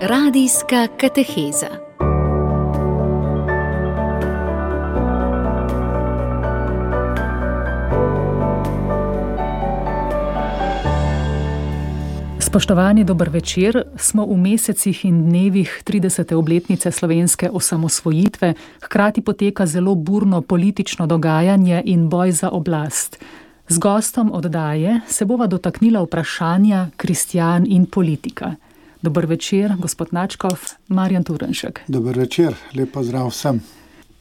Radijska kateheza. Spoštovani, dober večer. Smo v mesecih in dnevih 30. obletnice slovenske osamosvojitve, hkrati poteka zelo burno politično dogajanje in boj za oblast. Z gostom oddaje se bova dotaknila vprašanja kristjan in politika. Dober večer, gospod Načkov, Marjan Turnšek. Dober večer, lep pozdrav vsem.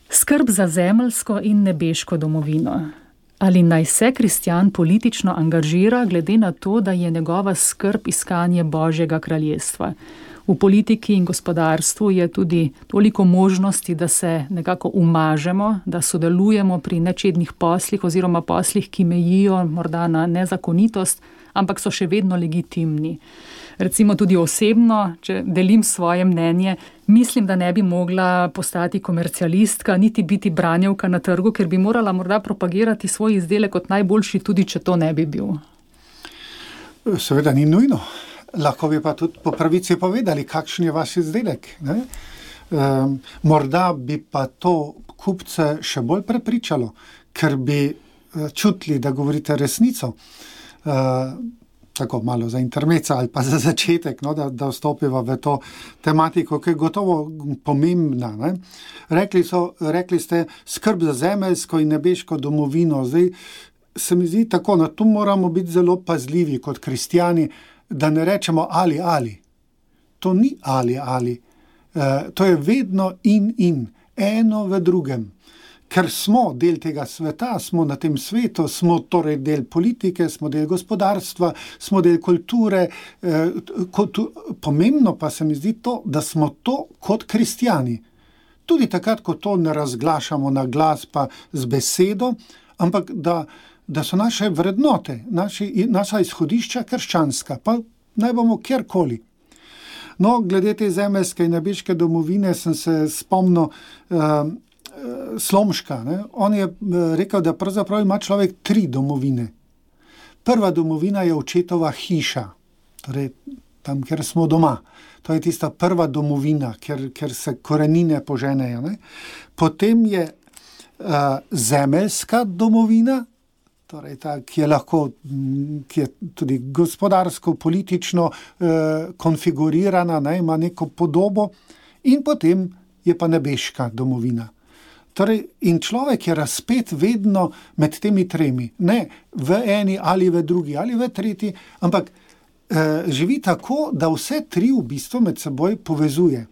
Skrb za zemeljsko in nebeško domovino. Ali naj se kristjan politično angažira glede na to, da je njegova skrb iskanje Božjega kraljestva? V politiki in gospodarstvu je tudi toliko možnosti, da se nekako umažemo, da sodelujemo pri nečednih poslih oziroma poslih, ki mejijo morda na nezakonitost, ampak so še vedno legitimni. Recimo tudi osebno, če delim svoje mnenje, mislim, da ne bi mogla postati komercialistka, niti biti branjevka na trgu, ker bi morala morda propagirati svoj izdelek kot najboljši, tudi če to ne bi bil. Seveda ni nujno. Lahko bi pa tudi po pravici povedali, kakšen je vaš izdelek. Morda bi pa to kupce še bolj prepričalo, ker bi čutili, da govorite resnico. Tako malo za intermeca ali pa za začetek, da vstopiva v to tematiko, ki je gotovo pomembna. Rekli ste, skrb za zemeljsko in nebeško domovino. Zdaj se mi zdi tako, tu moramo biti zelo pazljivi kot kristjani, da ne rečemo ali. To ni ali. To je vedno in. Eno v drugem. Ker smo del tega sveta, smo na tem svetu, smo torej del politike, smo del gospodarstva, smo del kulture. Pomembno pa se mi zdi to, da smo to kot kristjani. Tudi takrat, ko to ne razglašamo na glas pa z besedo, ampak da so naše vrednote, naša izhodišča krščanska, pa naj bomo kjerkoli. Glede te zemeljske in nebeške domovine sem se spomnil Slomška. On je rekel, da pravzaprav ima človek 3 domovine. Prva domovina je očetova hiša, torej tam, kjer smo doma. To je tista prva domovina, kjer se korenine poženejo. Potem je zemeljska domovina, torej ta, ki je tudi gospodarsko, politično konfigurirana, ima neko podobo, in potem je pa nebeška domovina. Torej, in človek je razpet vedno med temi 3. Ne v eni ali v drugi ali v tretji, ampak živi tako, da vse 3 v bistvu med seboj povezuje.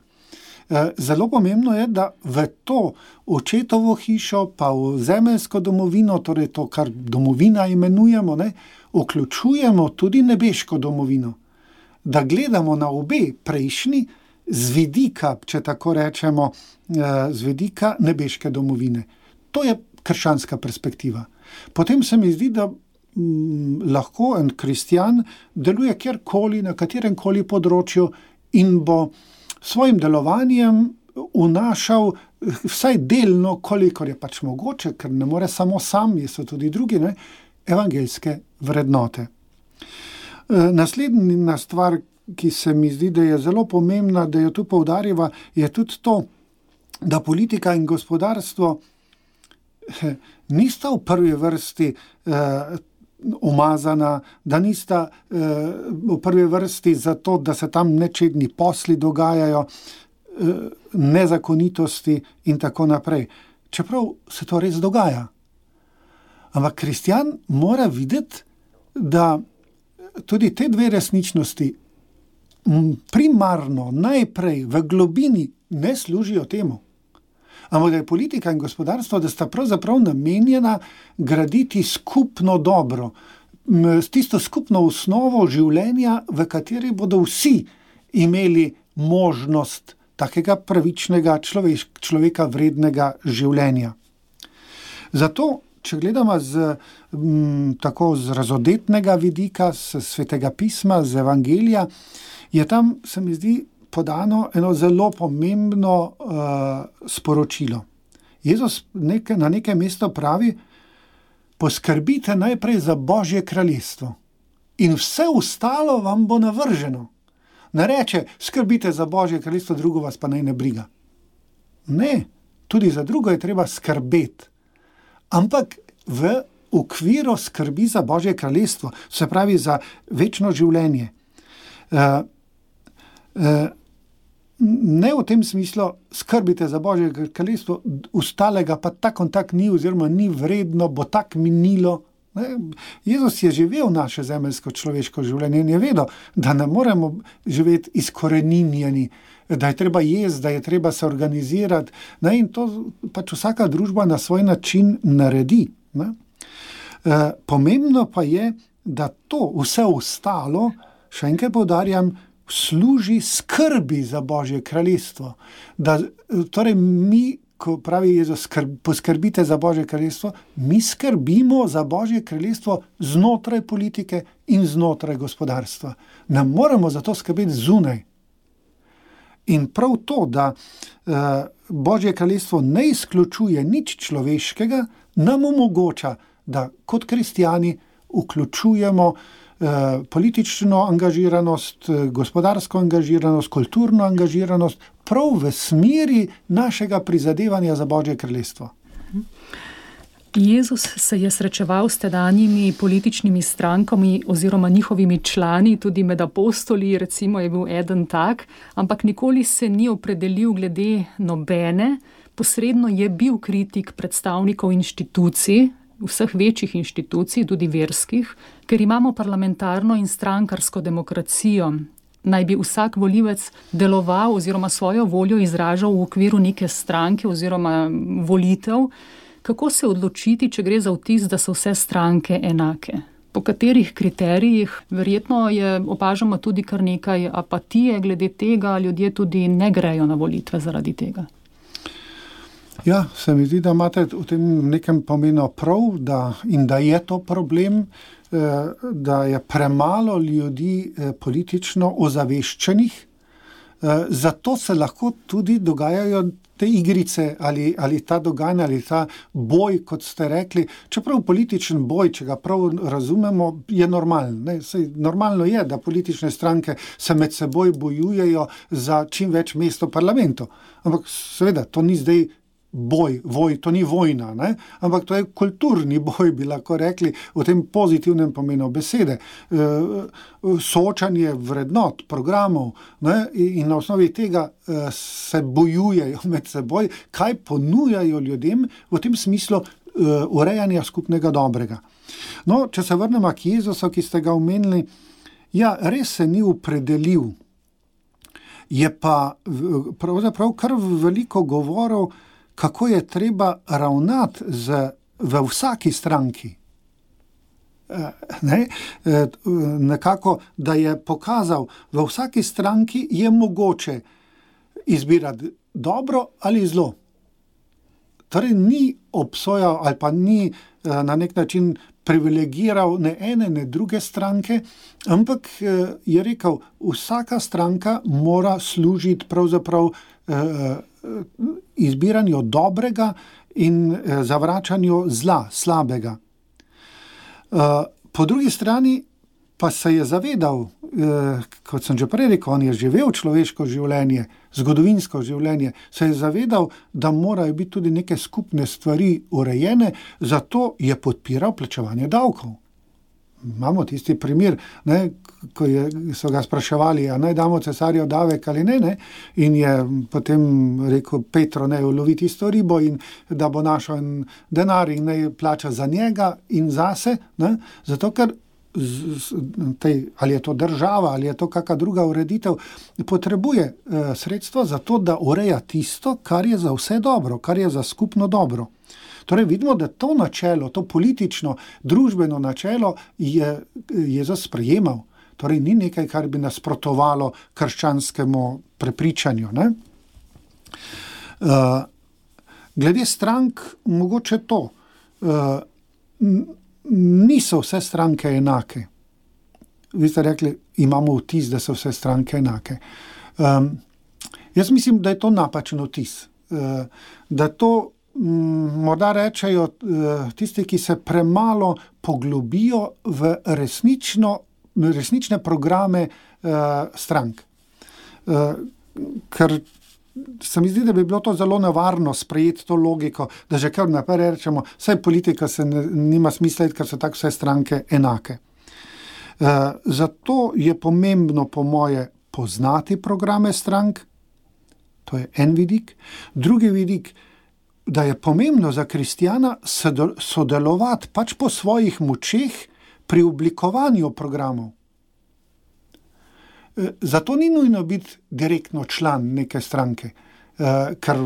Zelo pomembno je, da v to očetovo hišo pa v zemeljsko domovino, torej to, kar domovina imenujemo, vključujemo tudi nebeško domovino. Da gledamo na obe prejšnji z vidika, če tako rečemo, z vidika nebeške domovine. To je krščanska perspektiva. Potem se mi zdi, da lahko en kristjan deluje kjerkoli, na kateremkoli področju in bo svojim delovanjem vnašal vsaj delno, kolikor je pač mogoče, ker ne more samo sam, so tudi drugi, evangeljske vrednote. Naslednja stvar, ki se mi zdi, da je zelo pomembna, da jo tu poudarjava, je tudi to, da politika in gospodarstvo nista v prvi vrsti umazana, da nista v prvi vrsti zato, da se tam nečedni posli dogajajo, nezakonitosti in tako naprej. Čeprav se to res dogaja. Ampak kristjan mora videti, da tudi te 2 resničnosti primarno, najprej v globini ne služijo temu. Ampak da je politika in gospodarstvo, da sta pravzaprav namenjena graditi skupno dobro, tisto skupno osnovo življenja, v kateri bodo vsi imeli možnost takega pravičnega človeka vrednega življenja. Zato, če gledamo tako z razodetnega vidika, z svetega pisma, z evangelija, je tam, se mi zdi, podano eno zelo pomembno sporočilo. Jezus na nekaj mesto pravi, poskrbite najprej za Božje kraljestvo in vse ostalo vam bo navrženo. Ne reče, skrbite za Božje kraljestvo, drugo vas pa naj ne briga. Ne, tudi za drugo je treba skrbeti. Ampak v okviru skrbi za Božje kraljestvo, se pravi za večno življenje. Ne v tem smislu, skrbite za Božje kraljestvo, ostalega pa tako in tako ni, oziroma ni vredno, bo tako minilo. Jezus je živel naše zemeljsko človeško življenje in je vedel, da ne moremo živeti izkoreninjeni, da je treba jesti, da je treba se organizirati. In to pač vsaka družba na svoj način naredi. Pomembno pa je, da to vse ostalo, še enkrat poudarjam, služi skrbi za Božje kraljestvo. Torej mi, ko pravi Jezus, poskrbite za Božje kraljestvo, mi skrbimo za Božje kraljestvo znotraj politike in znotraj gospodarstva. Ne moremo za to skrbeti zunaj. In prav to, da Božje kraljestvo ne izključuje nič človeškega, nam omogoča, da kot kristjani vključujemo politično angažiranost, gospodarsko angažiranost, kulturno angažiranost prav v smeri našega prizadevanja za Božje kraljestvo. Jezus se je srečeval s tedanjimi političnimi strankami oziroma njihovimi člani, tudi med apostoli, recimo je bil eden tak, ampak nikoli se ni opredelil glede nobene. Posredno je bil kritik predstavnikov inštitucij, vseh večjih inštitucij, tudi verskih, ker imamo parlamentarno in strankarsko demokracijo. Naj bi vsak volivec deloval oziroma svojo voljo izražal v okviru neke stranke oziroma volitev. Kako se odločiti, če gre za vtis, da so vse stranke enake? Po katerih kriterijih? Verjetno opažamo tudi kar nekaj apatije glede tega, ljudje tudi ne grejo na volitve zaradi tega. Ja, se mi zdi, da imate v tem nekem pomenu prav, in da je to problem, da je premalo ljudi politično ozaveščenih, zato se lahko tudi dogajajo te igrice ali ta dogajanja ali ta boj, kot ste rekli. Čeprav političen boj, če ga prav razumemo, je normalen. Normalno je, da politične stranke se med seboj bojujejo za čim več mest v parlamentu. Ampak seveda, to ni zdaj to ni vojna, ampak to je kulturni boj, bi lahko rekli, v tem pozitivnem pomenu besede. Soočanje vrednot, programov, in na osnovi tega se bojujejo med seboj, kaj ponujajo ljudem v tem smislu urejanja skupnega dobrega. No, če se vrnemo k Jezusu, ki ste ga omenili, ja, res se ni opredelil. Je pa pravzaprav kar veliko govorov, kako je treba ravnati v vsaki stranki. Nekako, da je pokazal, v vsaki stranki je mogoče izbirati dobro ali zlo. Torej ni obsojal ali pa ni na nek način privilegiral ne ene, ne druge stranke, ampak je rekel, vsaka stranka mora služiti pravzaprav izbiranju dobrega in zavračanju zla, slabega. Po drugi strani pa se je zavedal, kot sem že prej rekel, on je živel človeško življenje, zgodovinsko življenje, se je zavedal, da morajo biti tudi neke skupne stvari urejene, zato je podpiral plačevanje davkov. Imamo tisti primer, ko so ga spraševali, a naj damo cesarjev davek ali ne, in je potem rekel Petro, naj ulovi tisto ribo in da bo našel denar in naj plača za njega in zase, zato ker ali je to država ali je to kakšna druga ureditev, potrebuje sredstva za to, da ureja tisto, kar je za vse dobro, kar je za skupno dobro. Torej vidimo, da to načelo, to politično, družbeno načelo je Jezus sprejemal. Torej ni nekaj, kar bi nasprotovalo krščanskemu prepričanju. Glede strank, mogoče to. Niso vse stranke enake. Vi ste rekli, imamo vtis, da so vse stranke enake. Jaz mislim, da je to napačen vtis. Da to morda rečejo tisti, ki se premalo poglobijo v resnične programe strank. ker se mi zdi, da bi bilo to zelo nevarno sprejeti to logiko, da že kar naprej rečemo, saj politika se nima smisla, ker so tako vse stranke enake. Zato je pomembno po moje poznati programe strank, to je en vidik. Drugi vidik, da je pomembno za kristjana sodelovati pač po svojih močeh pri oblikovanju programov. Zato ni nujno biti direktno član neke stranke, ker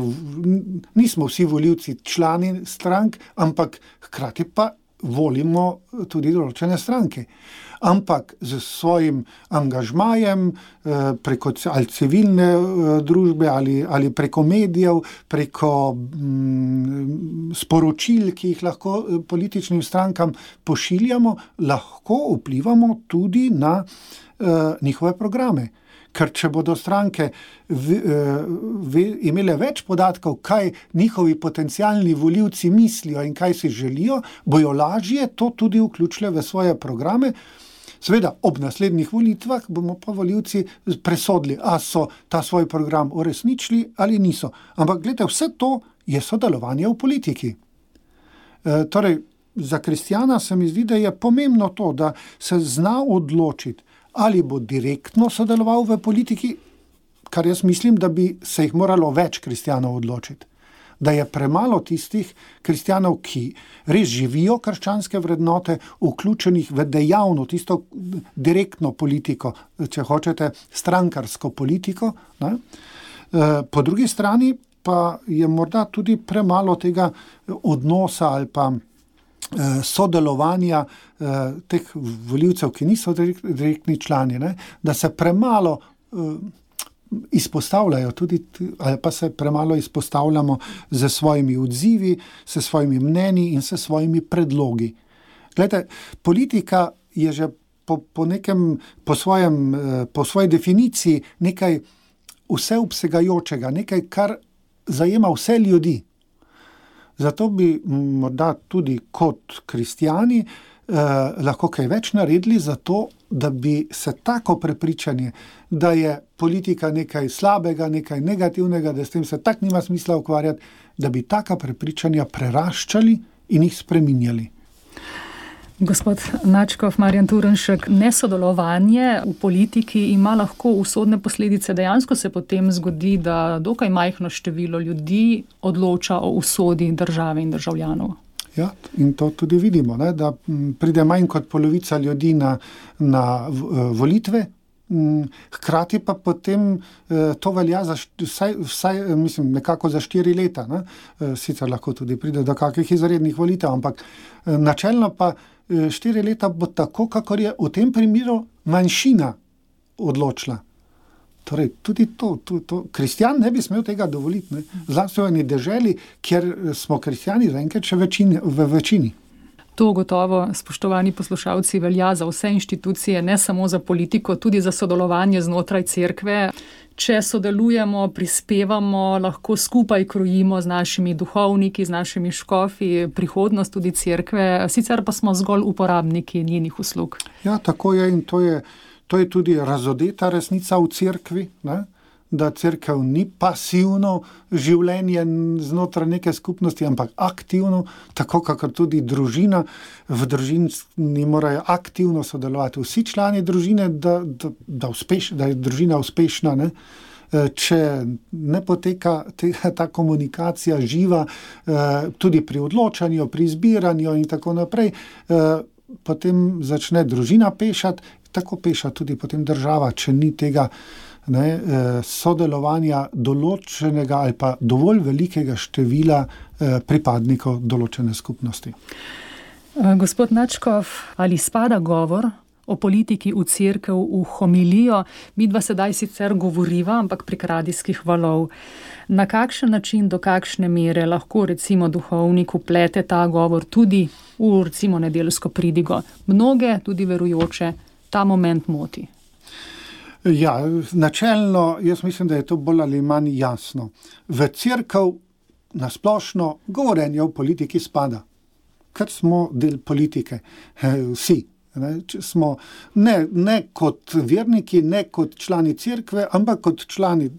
nismo vsi volivci člani strank, ampak hkrati pa volimo tudi določene stranke. Ampak z svojim angažmajem preko ali civilne družbe ali preko medijev, preko sporočil, ki jih lahko političnim strankam pošiljamo, lahko vplivamo tudi na njihove programe. Ker če bodo stranke imele več podatkov, kaj njihovi potencialni volivci mislijo in kaj si želijo, bojo lažje to tudi vključile v svoje programe. Seveda, ob naslednjih volitvah bomo pa volivci presodili, a so ta svoj program uresničili ali niso. Ampak gledajte, vse to je sodelovanje v politiki. Torej, za kristjana se mi zdi, da je pomembno to, da se zna odločiti, ali bo direktno sodeloval v politiki, kar jaz mislim, da bi se jih moralo več kristjanov odločiti. Da je premalo tistih kristjanov, ki res živijo krščanske vrednote, vključenih v dejavno, tisto direktno politiko, če hočete, strankarsko politiko. Ne? Po drugi strani pa je morda tudi premalo tega odnosa ali pa sodelovanja teh volivcev, ki niso direktni člani, ne? Da se premalo izpostavljajo tudi, ali pa se premalo izpostavljamo z svojimi odzivi, s svojimi mnenji in s svojimi predlogi. Glejte, politika je že po svoji definiciji nekaj vseobsegajočega, nekaj, kar zajema vse ljudi. Zato bi morda tudi kot kristjani lahko kaj več naredili za to, da bi se tako prepričanje, da je politika nekaj slabega, nekaj negativnega, da s tem se tak nima smisla ukvarjati, da bi taka prepričanja preraščali in jih spreminjali. Gospod Nadškof, Marjan Turnšek, nesodelovanje v politiki ima lahko usodne posledice. Dejansko se potem zgodi, da dokaj majhno število ljudi odloča o usodi države in državljanov. Ja, in to tudi vidimo, ne, da pride manj kot polovica ljudi na volitve, hkrati pa potem to velja za vsaj mislim, nekako za 4 leta. Ne. Sicer lahko tudi pride do kakih izrednih volitev, ampak načelno pa 4 leta bo tako, kakor je v tem primeru manjšina odločila. Torej, tudi to kristjan ne bi smel tega dovoliti. Zlasti v eni deželi, kjer smo kristjani zaenkrat še v večini. To gotovo, spoštovani poslušalci, velja za vse inštitucije, ne samo za politiko, tudi za sodelovanje znotraj cerkve. Če sodelujemo, prispevamo, lahko skupaj krojimo z našimi duhovniki, z našimi škofi, prihodnost tudi cerkve, sicer pa smo zgolj uporabniki njenih uslug. Ja, tako je in to je tudi razodeta resnica v cerkvi, ne? Da cerkev ni pasivno življenje znotraj neke skupnosti, ampak aktivno, tako kakor tudi družina. V družini morajo aktivno sodelovati vsi člani družine, da je družina uspešna. Ne? Če ne poteka ta komunikacija živa, tudi pri odločanju, pri izbiranju in tako naprej, potem začne družina pešati, tako peša tudi potem država, če ni tega sodelovanja določenega ali pa dovolj velikega števila pripadnikov določene skupnosti. Gospod Nadškof, ali spada govor o politiki v cerkev v homilijo? Midva sedaj sicer govoriva, ampak prek radijskih valov. Na kakšen način, do kakšne mere lahko recimo duhovnik vplete ta govor tudi v recimo nedeljsko pridigo? Mnoge, tudi verujoče, ta moment moti. Ja, načelno, jaz mislim, da je to bolj ali manj jasno. V cerkev nasplošno govorenje o politiki spada, ker smo del politike, vsi. Smo ne kot verniki, ne kot člani cerkve, ampak kot člani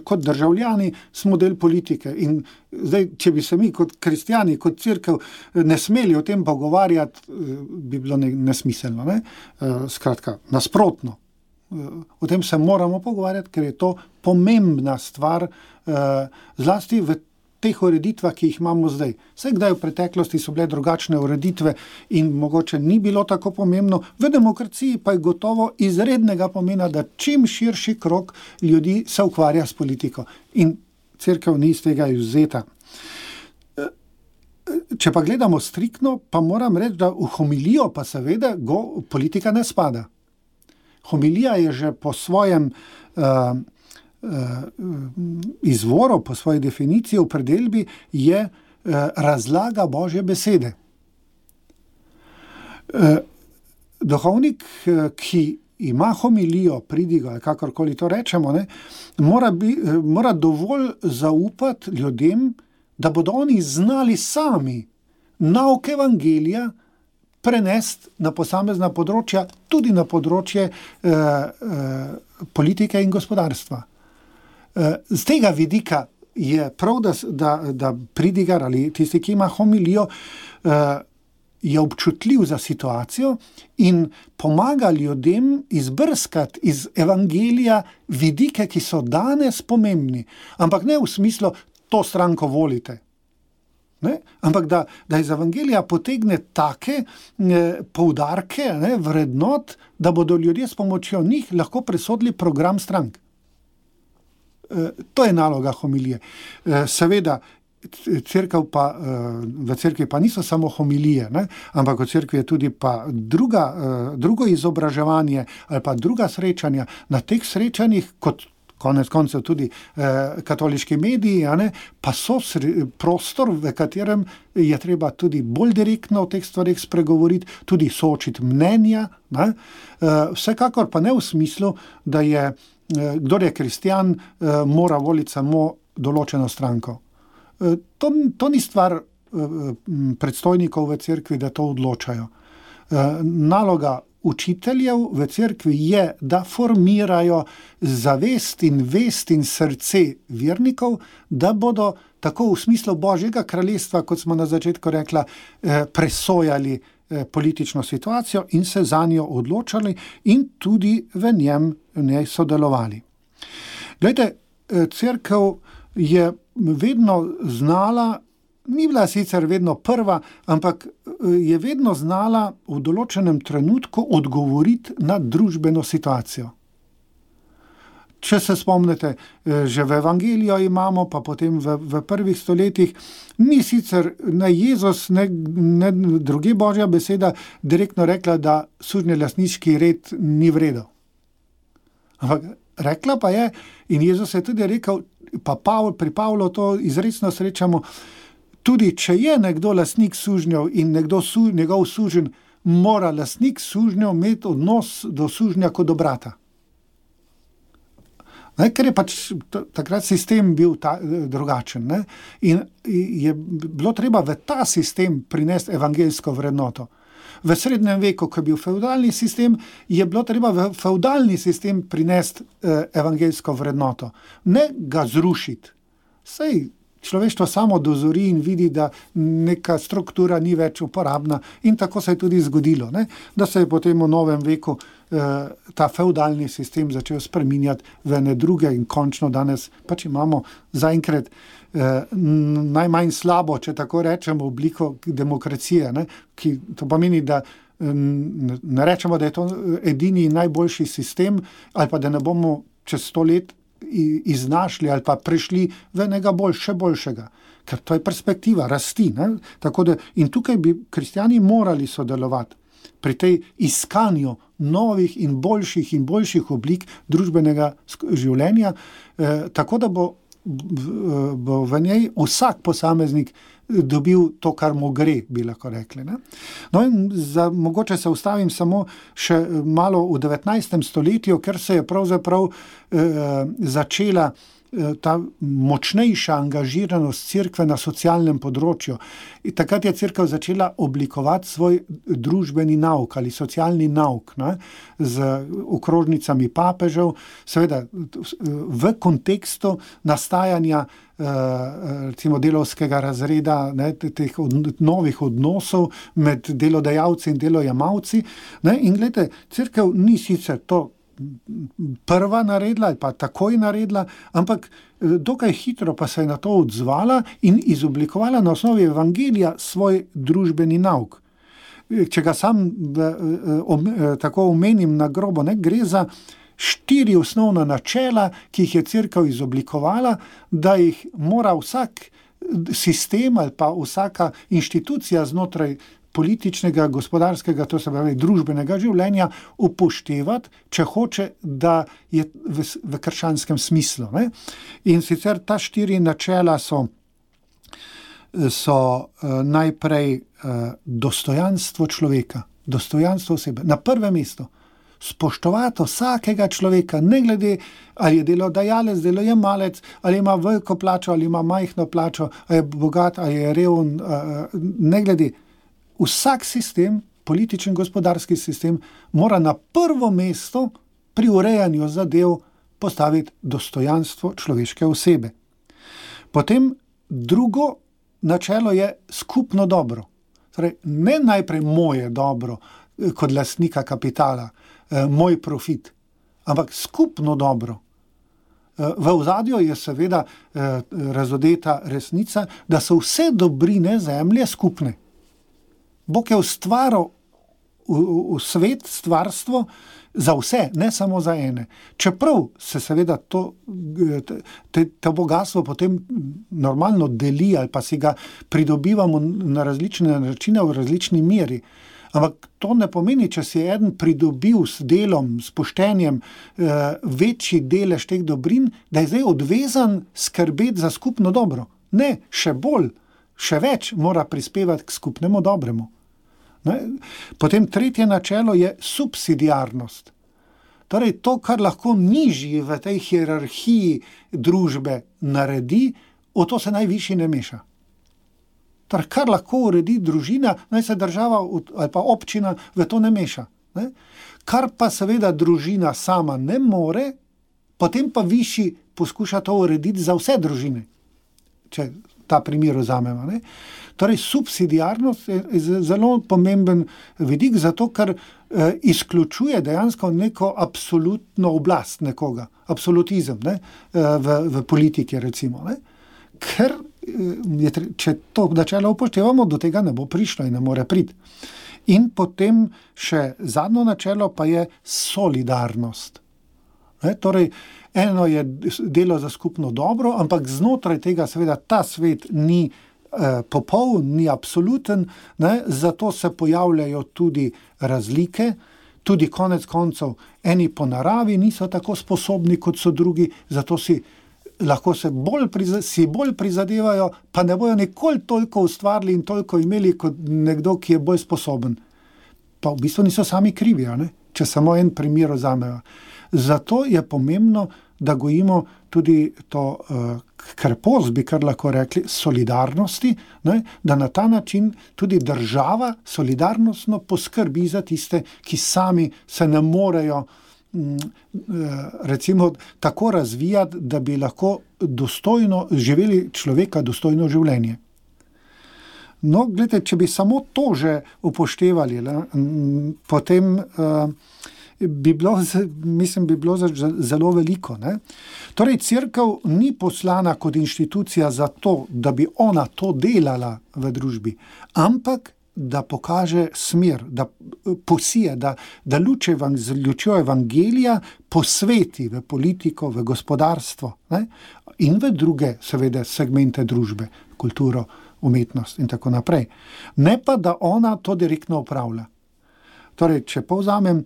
kot državljani smo del politike. In zdaj, če bi se mi kot kristjani, kot cerkev ne smeli o tem pogovarjati, bi bilo nesmiselno. Ne? Skratka, nasprotno. O tem se moramo pogovarjati, ker je to pomembna stvar, zlasti v teh ureditvah, ki jih imamo zdaj. Vse kdaj v preteklosti so bile drugačne ureditve in mogoče ni bilo tako pomembno, v demokraciji pa je gotovo izrednega pomena, da čim širši krog ljudi se ukvarja s politiko. In cerkev ni iz tega izvzeta. Če pa gledamo striktno, pa moram reči, da v homilijo pa seveda politika ne spada. Homilija je že po svojem izvoru, po svoji definiciji, opredelbi je razlaga Božje besede. Duhovnik, ki ima homilijo, pridigo, kakorkoli to rečemo, mora dovolj zaupati ljudem, da bodo oni znali sami nauk evangelija prenesti na posamezna področja, tudi na področje politike in gospodarstva. Z tega vidika je prav, da pridigar ali tisti, ki ima homilijo, je občutljiv za situacijo in pomaga ljudem izbrskati iz evangelija vidike, ki so danes pomembni. Ampak ne v smislu, to stranko volite. Ne? Ampak da iz evangelija potegne take poudarke, vrednot, da bodo ljudje s pomočjo njih lahko presodili program strank. To je naloga homilije. Seveda, v cerkvi pa niso samo homilije, ampak v cerkvi je tudi pa drugo izobraževanje ali pa druga srečanja. Na teh srečanjih, kot konec koncev tudi katoliški mediji, pa so prostor, v katerem je treba tudi bolj direktno o teh stvarih spregovoriti, tudi soočiti mnenja. Vsekakor pa ne v smislu, da je, kdor je kristjan, mora voliti samo določeno stranko. To ni stvar predstojnikov v cerkvi, da to odločajo. Naloga učiteljev v cerkvi je, da formirajo zavest in vest in srce vernikov, da bodo tako v smislu Božjega kraljestva, kot smo na začetku rekla, presojali politično situacijo in se zanjo odločali in tudi v njej sodelovali. Glejte, cerkev je vedno znala, ni bila sicer vedno prva, ampak je vedno znala v določenem trenutku odgovoriti na družbeno situacijo. Če se spomnite, že v evangelijo imamo, pa potem v prvih stoletjih, ni sicer ne Jezus, ne druge Božja beseda direktno rekla, da sužnjelastniški red ni v redu. Ampak rekla pa je, in Jezus je tudi rekel, pa pri Pavlu to izrecno srečamo, tudi če je nekdo lastnik sužnjev in njegov suženj, mora lastnik sužnjev imeti odnos do sužnja kot do brata. Ker je pač takrat sistem bil drugačen. In je bilo treba v ta sistem prinesti evangeljsko vrednoto. V srednjem veku, ko je bil fevdalni sistem, je bilo treba v fevdalni sistem prinesti evangeljsko vrednoto. Ne ga zrušiti. Sej človeštvo samo dozori in vidi, da neka struktura ni več uporabna, in tako se je tudi zgodilo, da se je potem v novem veku ta fevdalni sistem začel spreminjati v ene druge in končno danes pač imamo zaenkrat najmanj slabo, če tako rečemo, obliko demokracije, ki to pomeni, da ne rečemo, da je to edini in najboljši sistem, ali pa da ne bomo čez 100 let iznašli ali pa prišli v enega še boljšega. Ker to je perspektiva rasti. Tako da, in tukaj bi kristjani morali sodelovati pri tej iskanju novih in boljših oblik družbenega življenja, tako da bo v njej vsak posameznik dobil to, kar mu gre, bi lahko rekli. No in mogoče se ustavim samo še malo v 19. stoletju, ker se je pravzaprav začela ta močnejša angažiranost cerkve na socialnem področju. In takrat je cerkev začela oblikovati svoj družbeni nauk ali socialni nauk, ne, z okrožnicami papežev, seveda v kontekstu nastajanja recimo delavskega razreda, ne, teh novih odnosov med delodajalci in delojemalci. Ne, in gledajte, cerkev ni sicer to prva naredila ali pa takoj naredila, ampak dokaj hitro pa se je na to odzvala in izoblikovala na osnovi evangelija svoj družbeni nauk. Če ga sam tako omenim na grobo, ne, gre za 4 osnovna načela, ki jih je cerkev izoblikovala, da jih mora vsak sistem ali pa vsaka inštitucija znotraj političnega, gospodarskega, to se pravi družbenega življenja upoštevati, če hoče, da je v krščanskem smislu. Ne? In sicer ta 4 načela so najprej dostojanstvo človeka, dostojanstvo osebe. Na prvem mestu spoštovati vsakega človeka, ne glede, ali je delodajalec, delojemalec, ali ima veliko plačo, ali ima majhno plačo, ali je bogat, ali je reven, ne glede. Vsak sistem, političen gospodarski sistem, mora na prvo mesto pri urejanju zadev postaviti dostojanstvo človeške osebe. Potem drugo načelo je skupno dobro. Torej, ne najprej moje dobro kot lastnika kapitala, moj profit, ampak skupno dobro. V ozadju je seveda razodeta resnica, da so vse dobrine zemlje skupne. Bog je ustvaril v svet, stvarstvo za vse, ne samo za ene. Čeprav se seveda to bogatstvo potem normalno deli ali pa si ga pridobivamo na različne načine v različni meri. Ampak to ne pomeni, če si eden pridobil s delom, s poštenjem večji delež teh dobrin, da je zdaj odvezan skrbeti za skupno dobro. Ne, še bolj, še več mora prispevati k skupnemu dobremu. Potem tretje načelo je subsidiarnost. Torej to, kar lahko nižji v tej hierarhiji družbe naredi, o to se najvišji ne meša. Torej, kar lahko uredi družina, naj se država ali pa občina v to ne meša. Ne? Kar pa seveda družina sama ne more, potem pa višji poskuša to urediti za vse družine, če ta primer vzamemo. Ne? Torej, subsidiarnost je zelo pomemben vidik, zato ker izključuje dejansko neko absolutno oblast nekoga, absolutizem, ne? V politiki recimo. Ne? Ker če to načelo upoštevamo, do tega ne bo prišlo in ne more priti. In potem še zadnje načelo pa je solidarnost. Ne? Torej, eno je delo za skupno dobro, ampak znotraj tega seveda ta svet ni popoln, ni absoluten, ne? Zato se pojavljajo tudi razlike, tudi konec koncev eni po naravi niso tako sposobni, kot so drugi, zato lahko si bolj prizadevajo, pa ne bojo nikoli toliko ustvarili in toliko imeli kot nekdo, ki je bolj sposoben. Pa v bistvu niso sami krivi, ne? Če samo en primer vzamejo. Zato je pomembno, da gojimo tudi to krpost, bi kar lahko rekli, solidarnosti, ne? Da na ta način tudi država solidarnostno poskrbi za tiste, ki sami se ne morejo recimo tako razvijati, da bi lahko dostojno živeli človeka dostojno življenje. No, gledajte, če bi samo to že upoštevali, potem bi bilo zelo veliko. Ne? Torej, cerkev ni poslana kot inštitucija za to, da bi ona to delala v družbi, ampak da pokaže smer, da posije, da lučjo evangelija posveti v politiko, v gospodarstvo, ne? In v druge seveda segmente družbe, kulturo, umetnost in tako naprej. Ne pa, da ona to direktno upravlja. Torej, če povzamem,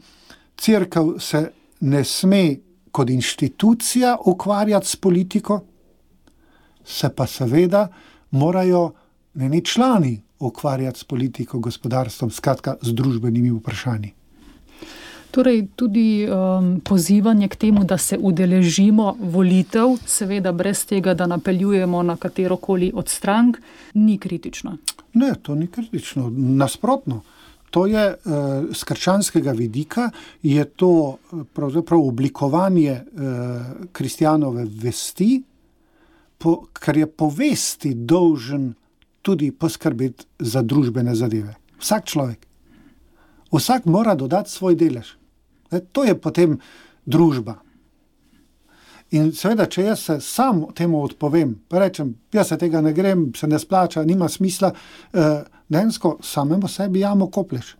cerkev se ne sme kot inštitucija ukvarjati s politiko, se pa seveda morajo njeni člani ukvarjati s politiko, gospodarstvom, skratka z družbenimi vprašanji. Torej tudi pozivanje k temu, da se udeležimo volitev, seveda brez tega, da napeljujemo na katerokoli od strank, ni kritično. Ne, to ni kritično. Nasprotno. To je z krščanskega vidika, je to pravzaprav oblikovanje kristjanove vesti, ker je po vesti dolžen tudi poskrbeti za družbene zadeve. Vsak človek. Vsak mora dodati svoj delež. To je potem družba. In seveda, če jaz se sam temu odpovem, pa rečem, jaz se tega ne grem, se ne splača, nima smisla, dejansko samemu sebi jamo koplješ.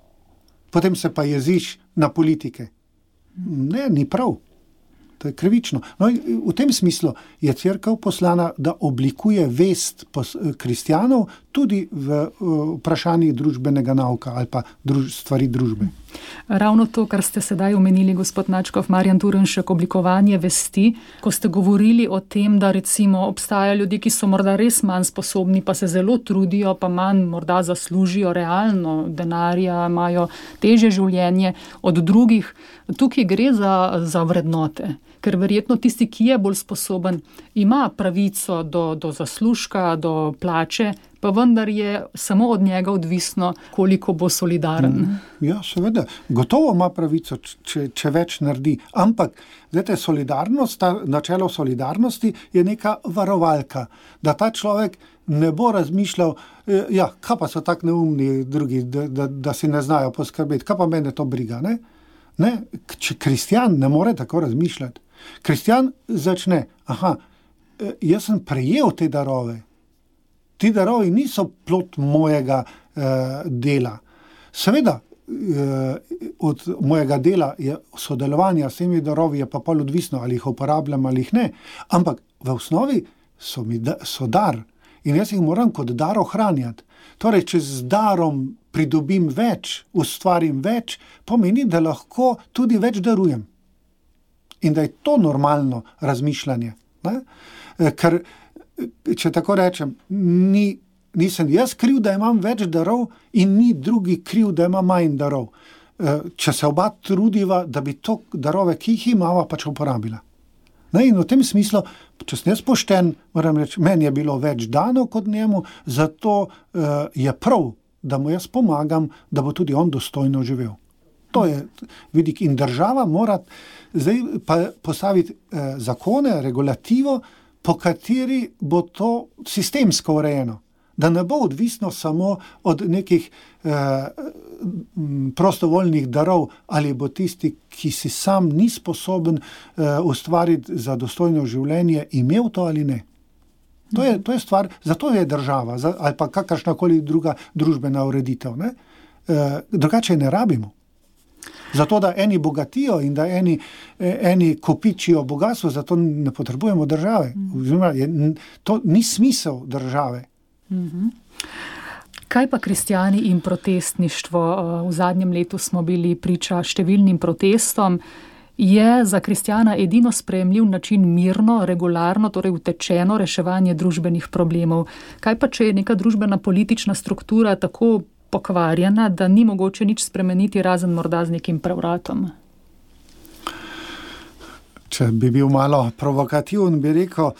Potem se pa jeziš na politike. Ne, ni prav. To je krivično. No, v tem smislu je cerkev poslana, da oblikuje vest kristjanov tudi v vprašanjih družbenega nauka ali pa stvari družbe. Ravno to, kar ste sedaj omenili, gospod Načkov, Marjan Turnšek, oblikovanje vesti, ko ste govorili o tem, da recimo obstajajo ljudje, ki so morda res manj sposobni, pa se zelo trudijo, pa manj morda zaslužijo realno denarja, imajo težje življenje od drugih. Tukaj gre za vrednote, ker verjetno tisti, ki je bolj sposoben, ima pravico do zaslužka, do plače, pa vendar je samo od njega odvisno, koliko bo solidaren. Ja, seveda. Gotovo ima pravico, če več naredi. Ampak, solidarnost, načelo solidarnosti je neka varovalka, da ta človek ne bo razmišljal, kaj pa so tak neumni drugi, da si ne znajo poskrbeti, kaj pa mene to briga, ne? Ne? Kristjan ne more tako razmišljati. Kristjan začne, jaz sem prejel te darove. Ti darovi niso plod mojega dela. Seveda, od mojega dela je sodelovanja s temi darovi je pa pol odvisno, ali jih uporabljam ali jih ne. Ampak v osnovi so dar in jaz jih moram kot dar ohranjati. Torej, če z darom pridobim več, ustvarim več, pomeni, da lahko tudi več darujem. In da je to normalno razmišljanje. Ne? Ker, če tako rečem, nisem jaz kriv, da imam več darov in ni drugi kriv, da ima manj darov. Če se oba trudiva, da bi to darove, ki jih imava, pač uporabila. Ne? In v tem smislu, če sem jaz pošten, moram reči, meni je bilo več dano kot njemu, zato je prav, da mu jaz pomagam, da bo tudi on dostojno živel. To je vidik. In država mora zdaj pa postaviti zakone, regulativo, po kateri bo to sistemsko urejeno. Da ne bo odvisno samo od nekih prostovoljnih darov, ali bo tisti, ki si sam ni sposoben ustvariti za dostojno življenje, imel to ali ne. To je stvar, zato je država, ali pa kakršnakoli druga družbena ureditev. Ne? Drugače ne rabimo. Zato, da eni bogatijo in da eni kopičijo bogatstvo, zato ne potrebujemo države. To ni smisel države. Kaj pa kristjani in protestništvo? V zadnjem letu smo bili priča številnim protestom. Je za kristjana edino sprejemljiv način mirno, regularno, torej utečeno reševanje družbenih problemov? Kaj pa, če je neka družbena politična struktura tako pokvarjena, da ni mogoče nič spremeniti, razen morda z nekim prevratom? Če bi bil malo provokativen, bi rekel,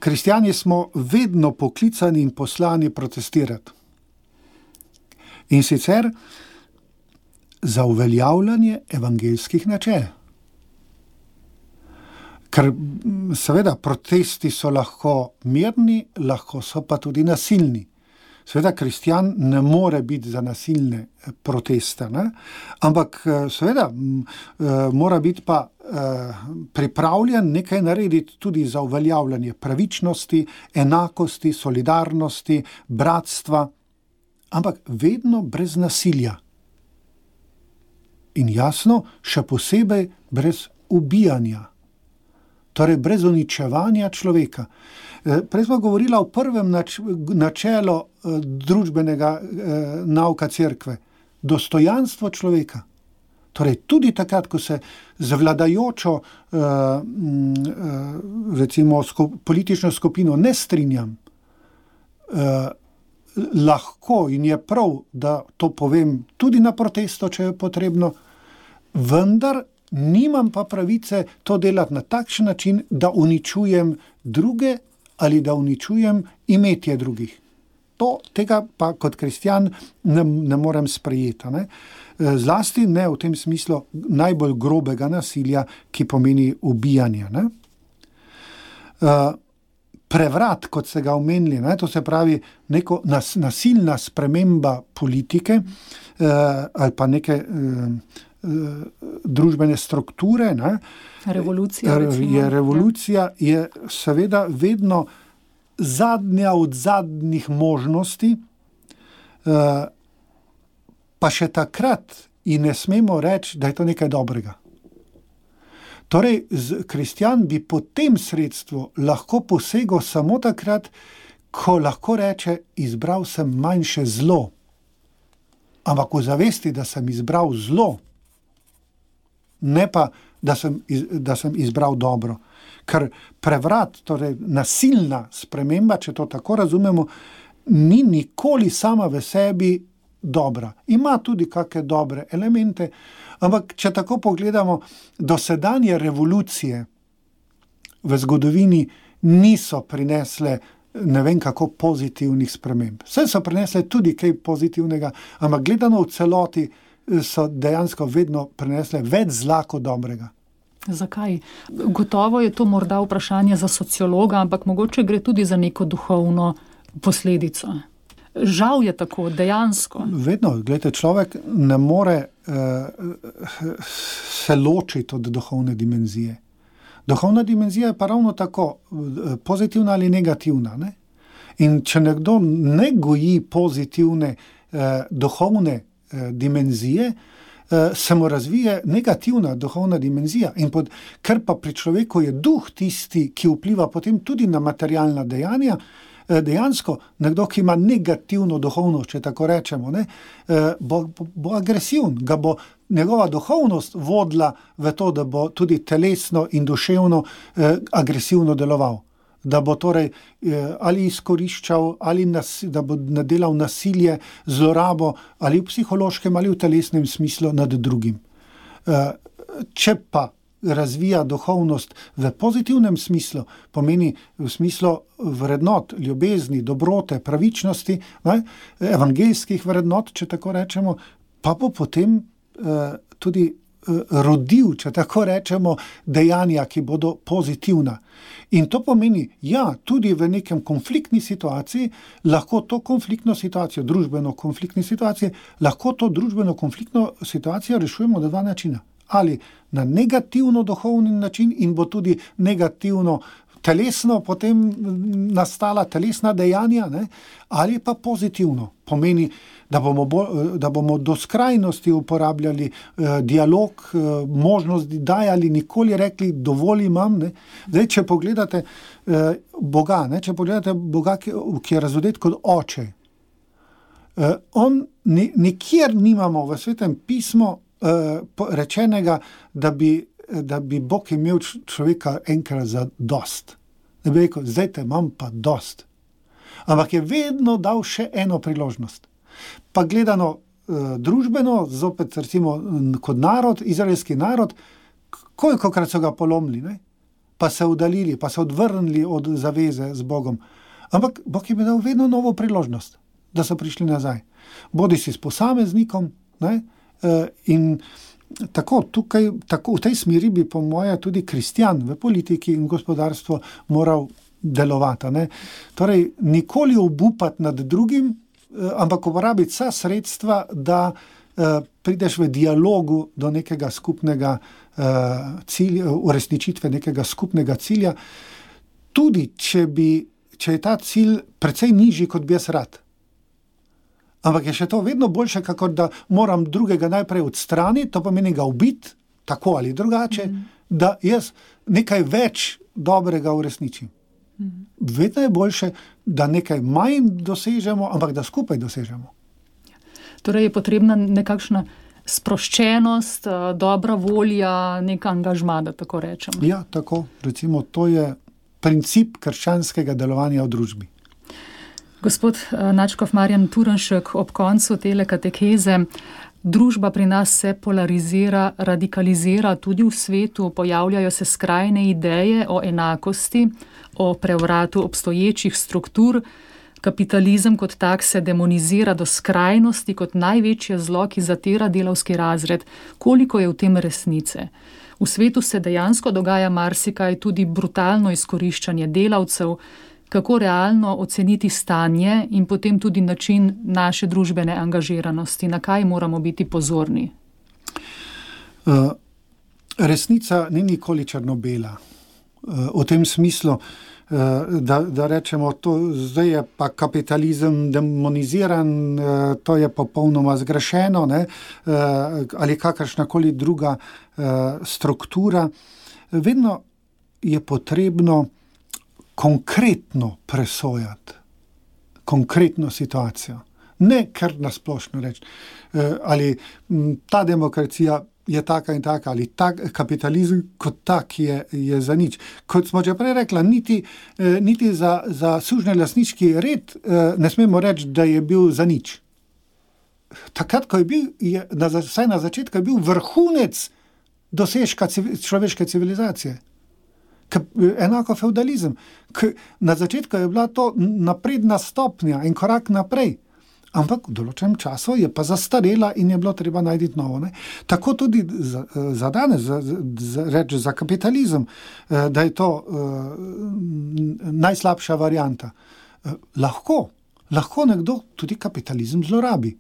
kristjani smo vedno poklicani in poslani protestirati. In sicer za uveljavljanje evangeljskih načel. Ker seveda protesti so lahko mirni, lahko so pa tudi nasilni. Seveda kristjan ne more biti za nasilne proteste, ne? Ampak seveda mora biti pa pripravljen nekaj narediti tudi za uveljavljanje pravičnosti, enakosti, solidarnosti, bratstva, ampak vedno brez nasilja. In jasno, še posebej brez ubijanja, torej brez uničevanja človeka. Prej smo govorili o prvem načelu družbenega nauka cerkve, dostojanstvo človeka. Torej tudi takrat, ko se z vladajočo recimo politično skupino ne strinjam, lahko in je prav, da to povem tudi na protestu, če je potrebno, vendar nimam pa pravice to delati na takšen način, da uničujem druge ali da uničujem imetje drugih. Tega pa kot kristjan ne morem sprejeti. Ne? Zlasti ne v tem smislu najbolj grobega nasilja, ki pomeni ubijanje. Ne? Prevrat, kot ste ga omenili, ne? To se pravi neko nasilna sprememba politike ali pa neke družbene strukture. Ne? Revolucija je seveda vedno zadnja od zadnjih možnosti, pa še takrat in ne smemo reči, da je to nekaj dobrega. Torej, kristjan bi po tem sredstvu lahko posegel samo takrat, ko lahko reče, izbral sem manjše zlo. Ampak v zavesti, da sem izbral zlo, ne pa, da sem izbral dobro. Ker prevrat, torej nasilna sprememba, če to tako razumemo, ni nikoli sama v sebi dobra. Ima tudi kakšne dobre elemente, ampak če tako pogledamo, dosedanje revolucije v zgodovini niso prinesle ne vem kako pozitivnih sprememb. Vse so prinesle tudi kaj pozitivnega, ampak gledano v celoti so dejansko vedno prinesle več zla kot dobrega. Zakaj? Gotovo je to morda vprašanje za sociologa, ampak mogoče gre tudi za neko duhovno posledico. Žal je tako, dejansko. Vedno, gledajte, človek ne more se ločiti od duhovne dimenzije. Duhovna dimenzija je pa ravno tako pozitivna ali negativna. Ne? In če nekdo ne goji pozitivne duhovne dimenzije, se mu razvije negativna duhovna dimenzija. Ker pa pri človeku je duh tisti, ki vpliva potem tudi na materialna dejanja, dejansko nekdo, ki ima negativno duhovnost, če tako rečemo, ne, bo agresiven, ga bo njegova duhovnost vodila v to, da bo tudi telesno in duševno agresivno deloval. Da bo torej ali izkoriščal, ali da bo nadelal nasilje, zlorabo, ali v psihološkem, ali v telesnem smislu nad drugim. Če pa razvija duhovnost v pozitivnem smislu, pomeni v smislu vrednot, ljubezni, dobrote, pravičnosti, ne, evangeljskih vrednot, če tako rečemo, pa bo potem tudi rodil, če tako rečemo, dejanja, ki bodo pozitivna. In to pomeni, ja, tudi v nekem konfliktni situaciji, lahko to konfliktno situacijo, družbeno konfliktni situaciji, lahko to družbeno konfliktno situacijo rešujemo na dva načina. Ali na negativno duhovni način in bo tudi negativno telesno potem nastala telesna dejanja, ne? Ali pa pozitivno. Pomeni, da bomo do skrajnosti uporabljali dialog, možnosti dajali, nikoli rekli, dovolj imam. Ne? Zdaj, če pogledate Boga, ki je razodet kot oče, on nikjer nimamo v Svetem pismu rečenega, da bi Bog imel človeka enkrat za dost. Da bi rekel, zdaj te imam pa dost. Ampak je vedno dal še eno priložnost. Pa gledano družbeno, zopet recimo kot narod, izraelski narod, kolikokrat so ga polomili, ne? Pa se udalili, pa se odvrnili od zaveze z Bogom. Ampak Bog jim je dal vedno novo priložnost, da so prišli nazaj. Bodisi s posameznikom, ne? In tako v tej smeri bi po moje tudi kristjan v politiki in gospodarstvu moral delovati. Ne? Torej, nikoli obupati nad drugim, ampak uporabiti vsa sredstva, da prideš v dialogu do nekega skupnega cilja, uresničitve nekega skupnega cilja, tudi če je ta cilj precej nižji, kot bi jaz rad. Ampak je še to vedno boljše, kakor da moram drugega najprej odstraniti, to pomeni ga ubiti, tako ali drugače, da jaz nekaj več dobrega uresničim. Vedno je boljše, da nekaj manj dosežemo, ampak da skupaj dosežemo. Torej je potrebna nekakšna sproščenost, dobra volja, nek angažma, da tako rečem. Ja, tako. Recimo, to je princip krščanskega delovanja v družbi. Gospod nadškof Marjan Turnšek, ob koncu tele katekeze, Družba pri nas se polarizira, radikalizira tudi v svetu, pojavljajo se skrajne ideje o enakosti, o prevratu obstoječih struktur. Kapitalizem kot tak se demonizira do skrajnosti kot največje zlo, ki zatira delavski razred. Koliko je v tem resnice? V svetu se dejansko dogaja marsikaj, tudi brutalno izkoriščanje delavcev. Kako realno oceniti stanje in potem tudi način naše družbene angažiranosti, na kaj moramo biti pozorni? Resnica ni nikoli črno-bela. V tem smislu, da rečemo, to zdaj je pa kapitalizem demoniziran, to je popolnoma zgrešeno, ne? Ali kakršnakoli druga struktura. Vedno je potrebno konkretno presojati, konkretno situacijo. Ne kar nasplošno reči, ali ta demokracija je taka in taka, ali kapitalizem kot tak je za nič. Kot smo že prej rekla, niti za sužnjelastniški red ne smemo reči, da je bil za nič. Takrat, ko je bil, vsaj na začetku, je bil vrhunec dosežka človeške civilizacije. Enako feudalizem. Na začetku je bila to napredna stopnja in korak naprej, ampak v določenem času je pa zastarela in je bilo treba najti novo. Ne? Tako tudi za danes, reči za kapitalizem, da je to najslabša varianta. Lahko nekdo tudi kapitalizem zlorabi.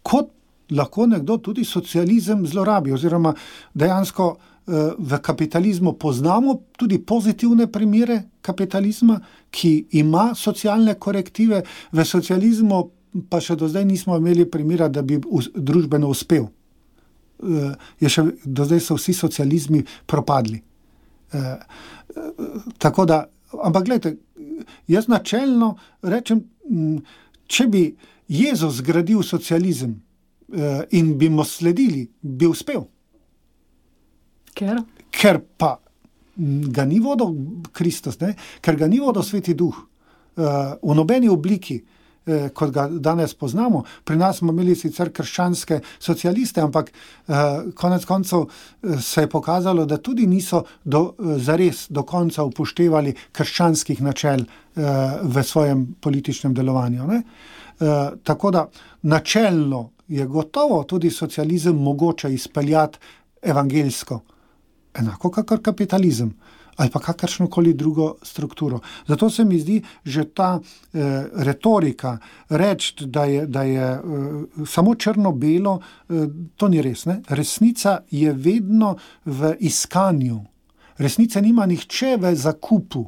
Kot lahko nekdo tudi socializem zlorabi, oziroma dejansko v kapitalizmu poznamo tudi pozitivne primere kapitalizma, ki ima socialne korektive, v socializmu pa še do zdaj nismo imeli primera, da bi družbeno uspel. Do zdaj so vsi socializmi propadli. Tako da, ampak gledajte, jaz načelno rečem, če bi Jezus zgradil socializem in bi mu sledili, bi uspel. Ker pa ga ni vodil Kristus, ne? Ker ga ni vodil Sveti Duh v nobeni obliki, kot ga danes poznamo. Pri nas smo imeli sicer krščanske socialiste, ampak konec koncev se je pokazalo, da tudi niso zares do konca upoštevali krščanskih načel v svojem političnem delovanju. Ne? Tako da načelno je gotovo tudi socializem mogoče izpeljati evangeljsko. Enako kakor kapitalizem ali pa kakršnokoli drugo strukturo. Zato se mi zdi, že ta retorika reči, da je samo črno-belo, to ni res. Ne? Resnica je vedno v iskanju. Resnica nima nihče v zakupu.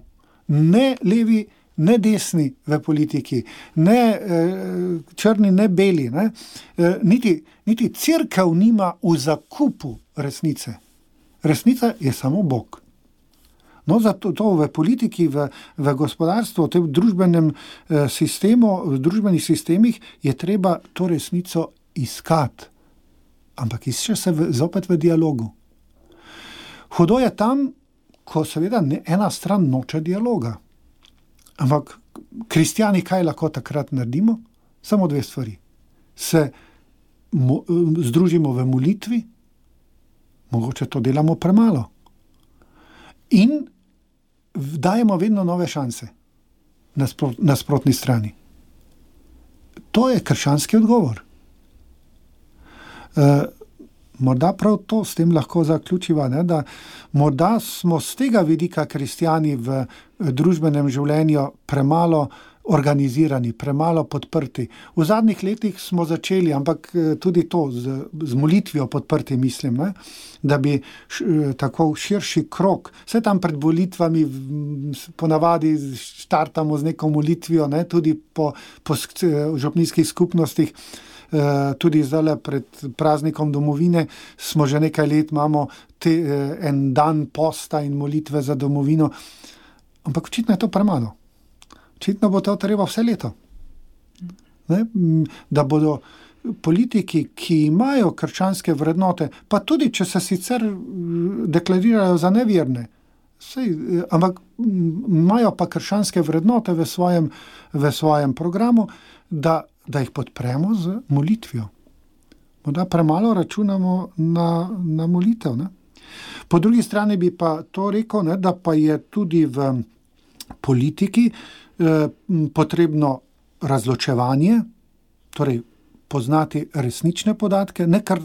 Ne levi, ne desni v politiki, ne črni, ne beli. Ne? Niti cerkev nima v zakupu resnice. Resnica je samo Bog. No, zato v politiki, v gospodarstvu, v tem družbenem sistemu, v družbenih sistemih je treba to resnico iskati. Ampak išče se zopet v dialogu. Hudo je tam, ko seveda ena stran noče dialoga. Ampak kristjani kaj lahko takrat naredimo? Samo dve stvari. Se združimo v molitvi, mogoče to delamo premalo. In dajemo vedno nove šanse na sprotni strani. To je krščanski odgovor. Morda prav to s tem lahko zaključiva, ne, da morda smo z tega vidika kristjani v družbenem življenju premalo organizirani, premalo podprti. V zadnjih letih smo začeli, ampak tudi to z molitvijo podprti, mislim, ne? Da bi tako širši krog, vse tam pred volitvami ponavadi štartamo z neko molitvijo, ne? Tudi po župnijskih skupnostih, tudi zdaj pred praznikom domovine smo že nekaj let, imamo en dan posta in molitve za domovino, ampak očitno je to premalo. Očitno bo to treba vse leto. Ne? Da bodo politiki, ki imajo krščanske vrednote, pa tudi, če se sicer deklarirajo za neverne, ampak imajo pa krščanske vrednote v svojem programu, da jih podpremo z molitvijo. morda premalo računamo na molitev. Ne? Po drugi strani bi pa to rekel, ne, da pa je tudi v politiki potrebno razločevanje, torej poznati resnične podatke, ne kar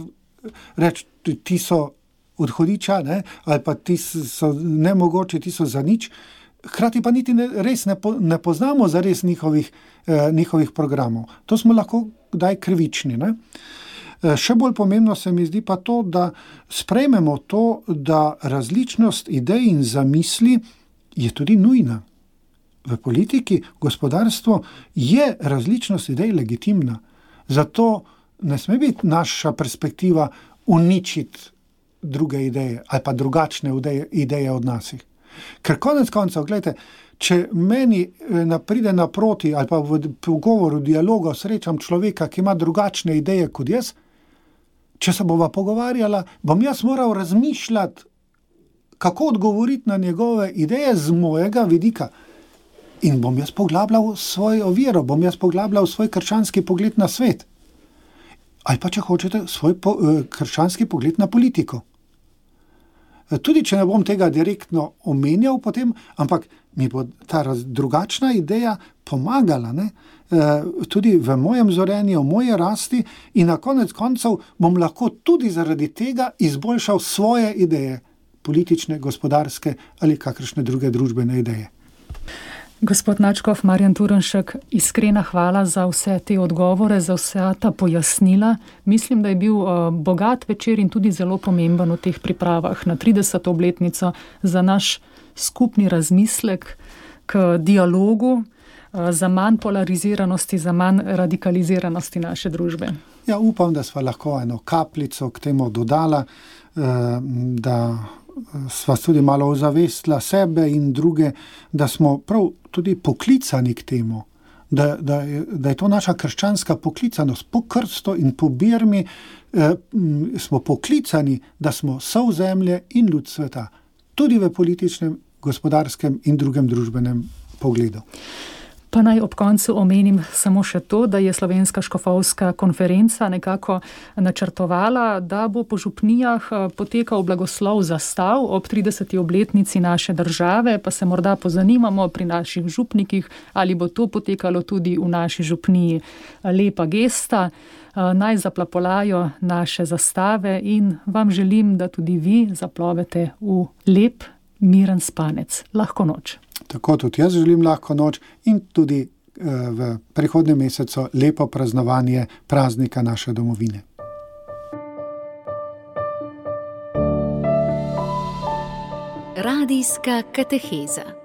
reči, ti so odhodiča, ne, ali pa ti so nemogoče, ti so za nič. Hkrati pa niti res ne poznamo zares njihovih programov. To smo lahko kdaj krivični. Ne? Še bolj pomembno se mi zdi pa to, da sprejmemo to, da različnost idej in zamisli je tudi nujna. V politiki, gospodarstvu je različnost idej legitimna. Zato ne sme biti naša perspektiva uničiti druge ideje ali pa drugačne ideje od nasih. Ker konec koncev, gledajte, če meni pride naproti ali pa v pogovoru, dialogu srečam človeka, ki ima drugačne ideje kot jaz, če se bova pogovarjala, bom jaz moral razmišljati, kako odgovoriti na njegove ideje z mojega vidika. In bom jaz poglabljal svojo vero, bom jaz poglabljal svoj krščanski pogled na svet. Ali pa, če hočete, svoj krščanski pogled na politiko. Tudi, če ne bom tega direktno omenjal potem, ampak mi bo ta drugačna ideja pomagala, ne? Tudi v mojem zorenju, v moje rasti in na konec koncev bom lahko tudi zaradi tega izboljšal svoje ideje, politične, gospodarske ali kakršne druge družbene ideje. Gospod nadškof Marjan Turnšek, iskrena hvala za vse te odgovore, za vse ta pojasnila. Mislim, da je bil bogat večer in tudi zelo pomemben v teh pripravah na 30. obletnico za naš skupni razmislek k dialogu, za manj polariziranosti, za manj radikaliziranosti naše družbe. Ja, upam, da sva lahko eno kapljico k temu dodala, da sva tudi malo ozavestila sebe in druge, da smo prav tudi poklicani k temu, da je to naša krščanska poklicanost. Po krstu in po birmi smo poklicani, da smo sol zemlje in ljud sveta, tudi v političnem, gospodarskem in drugem družbenem pogledu. Pa naj ob koncu omenim samo še to, da je Slovenska škofovska konferenca nekako načrtovala, da bo po župnijah potekal blagoslov zastav ob 30. obletnici naše države, pa se morda pozanimamo pri naših župnikih, ali bo to potekalo tudi v naši župniji. Lepa gesta, naj zaplapolajo naše zastave in vam želim, da tudi vi zaplovete v lep, miren spanec. Lahko noč. Tako tudi jaz želim lahko noč in tudi v prihodnjem mesecu lepo praznovanje praznika naše domovine. Radijska kateheza.